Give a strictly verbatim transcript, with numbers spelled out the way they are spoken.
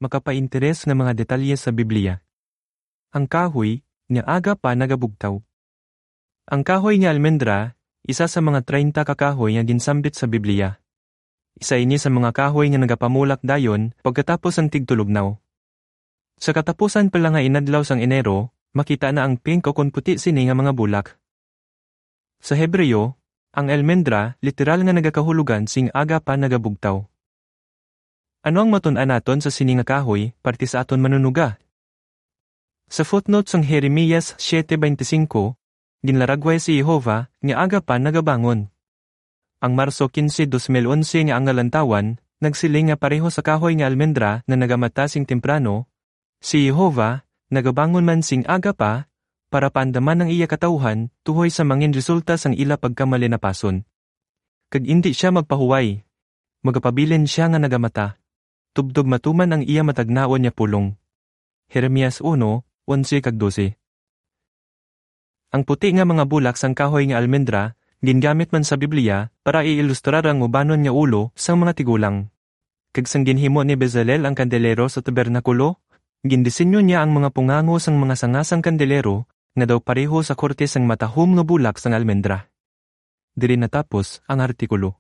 makapainteres nga mga detalye sa Biblia. Ang kahoy nga aga pa nagabugtaw. Ang kahoy nga almendra, isa sa mga treinta ka kahoy nga ginsambit sa Biblia. Isa ini sa mga kahoy nga nagapamulak dayon pagkatapos ang tigtulognaw. Sa katapusan pa lang nga inadlaw sang Enero, makita na ang pink o kon puti sini nga mga bulak. Sa Hebreo, ang almendra literal nga nagakahulugan sing aga pa nagabugtaw. Ano ang matun-an naton sa sini nga kahoy parte sa aton manunuga? Sa footnote sang Jeremias siete veinticinco, ginlaragway si Jehovah nga aga pa nagabangon. Ang Marso quince, dos mil onse nga ang Lantawan nagsiling nga pareho sa kahoy nga almendra nga nagamata sing temprano, si Jehovah nagabangon man sing aga pa para paandaman ang iya katawuhan tuhoy sa mangin resulta sang ila pagkamalinapason. Kag indi sia magpahuway, magapabilin sia nga nagamata, tubtob matuman ang iya matagnaon nga pulong. Jeremias uno, onse kag dose. Ang puti nga mga bulak sang kahoy nga almendra gingamit man sa Biblia para i-ilustrar ang ubanon nga ulo sang mga tigulang. Kag sang ginhimo ni Bezalel ang kandelero sa tabernakulo, gindisenyo niya ang mga pungango sang mga sanga sang kandelero nga daw pareho sa korte sang matahom nga bulak sang almendra. Diri natapos ang artikulo.